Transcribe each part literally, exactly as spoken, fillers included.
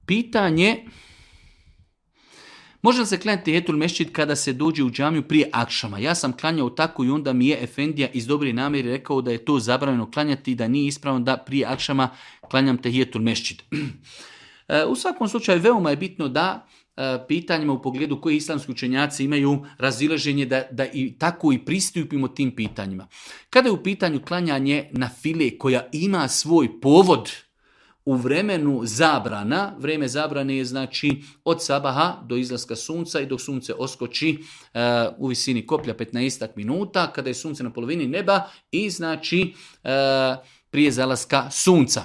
Pitanje, može li se klanjati tehijetul mesdžid kada se dođe u džamiju prije akšama? Ja sam klanjao tako i onda mi je efendija iz dobre namjere rekao da je to zabranjeno klanjati i da nije ispravno da prije akšama klanjam tehijetul mesdžid. U svakom slučaju veoma je bitno da pitanjima u pogledu koji islamski učenjaci imaju razilaženje da, da i tako i pristupimo tim pitanjima. Kada je u pitanju klanjanje na file koja ima svoj povod u vremenu zabrana, vrijeme zabrane je znači od sabaha do izlaska sunca i dok sunce oskoči uh, u visini koplja petnaest minuta, kada je sunce na polovini neba i znači uh, prije zalaska sunca.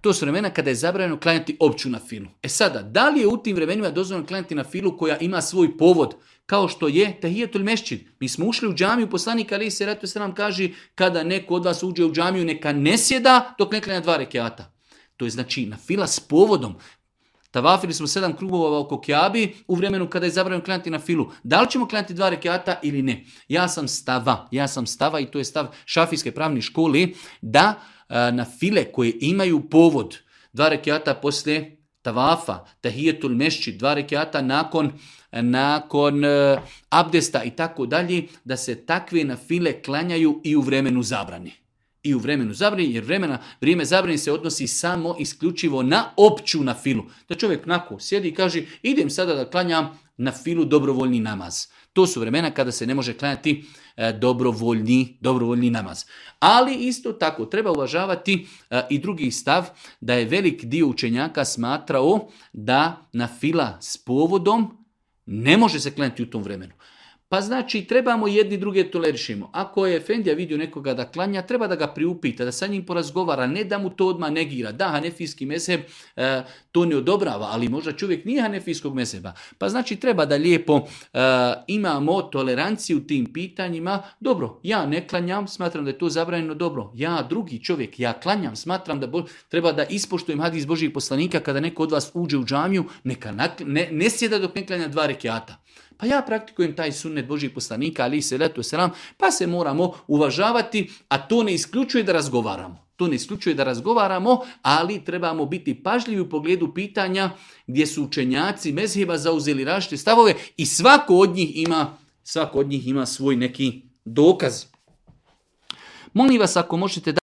To su vremena kada je zabranjeno klanjati opću na filu. E sada, da li je u tim vremenima dozvoljeno klanjati na filu koja ima svoj povod, kao što je tehijetul mesdžid? Mi smo ušli u džamiju, poslanik alejhi selatu selam kaže kada neko od vas uđe u džamiju neka ne sjeda dok ne klanja dva rekjata. To je znači na fila s povodom. Tavafili smo sedam krugova oko Kjabi u vremenu kada je zabranjeno klanjati na filu. Da li ćemo klanjati dva rekjata ili ne? Ja sam stava, ja sam stava i to je stav šafijske pravne škole da na file koje imaju povod, dva rekjata poslije tavafa, tahijetul mesdžid, dva rekjata nakon, nakon uh, abdesta i tako dalje, da se takve na file klanjaju i u vremenu zabrani. I u vremenu zabrani, jer vremena, vrijeme zabrani se odnosi samo isključivo na opću na filu. Da čovjek nako sjedi i kaže idem sada da klanjam na filu dobrovoljni namaz. To su vremena kada se ne može klanjati e, dobrovoljni, dobrovoljni namaz. Ali isto tako treba uvažavati e, i drugi stav da je velik dio učenjaka smatrao da na fila s povodom ne može se klanjati u tom vremenu. Pa znači trebamo jedni druge tolerišimo. Ako je efendija vidio nekoga da klanja, treba da ga priupita, da sa njim porazgovara, ne da mu to odmah negira. Da, hanefijski mezheb e, to ne odobrava, ali možda čovjek nije hanefijskog mezheba. Pa znači treba da lijepo e, imamo toleranciju u tim pitanjima. Dobro, ja ne klanjam, smatram da je to zabranjeno. Dobro, ja drugi čovjek, ja klanjam, smatram da bo, treba da ispoštujem hadis Božijeg poslanika kada neko od vas uđe u džamiju, neka nakl- ne, ne sjeda dok ne klanja dva rekjata. Pa ja praktikujem taj sunnet Božijeg poslanika, alejhi selatu selam, pa se moramo uvažavati, a to ne isključuje da razgovaramo. To ne isključuje da razgovaramo, ali trebamo biti pažljivi u pogledu pitanja gdje su učenjaci mezheba zauzeli različite stavove i svako od njih ima, svako od njih ima svoj neki dokaz. Molim vas ako možete da